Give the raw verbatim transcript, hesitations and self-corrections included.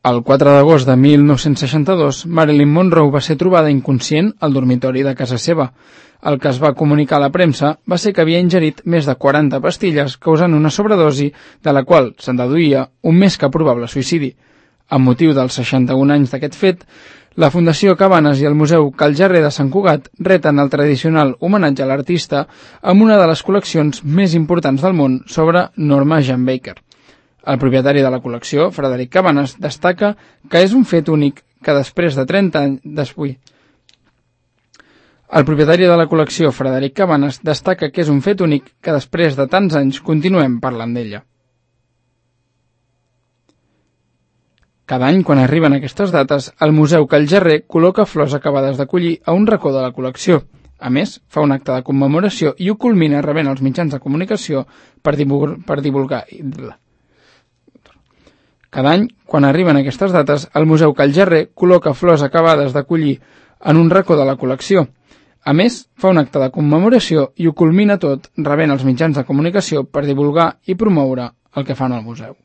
El quatre d'agost de mil nou-cents seixanta-dos, Marilyn Monroe va ser trobada inconscient al dormitori de casa seva. El que es va comunicar a la premsa va ser que havia ingerit més de quaranta pastilles causant una sobredosi, de la qual se'n deduïa un més que probable suïcidi. Amb motiu dels seixanta-un anys d'aquest fet, la Fundació Cabanes i el Museu Cal Jarrer de Sant Cugat reten el tradicional homenatge a l'artista amb una de les col·leccions més importants del món sobre Norma Jean Baker. El propietari de la col·lecció, Frederic Cabanes, destaca que és un fet únic que després de trenta anys després... El propietari de la col·lecció, Frederic Cabanes, destaca que és un fet únic que després de tants anys continuem parlant d'ella. Cada any, quan arriben aquestes dates, el Museu Cal Jarrer col·loca flors acabades de collir a un racó de la col·lecció. A més, fa un acte de commemoració i ho culmina rebent els mitjans de comunicació per divulgar... Per divulgar Cada any, quan arriben aquestes dates, el Museu Cal Jarrer col·loca flors acabades de collir en un racó de la col·lecció. A més, fa un acte de commemoració i ho culmina tot rebent els mitjans de comunicació per divulgar i promoure el que fan al museu.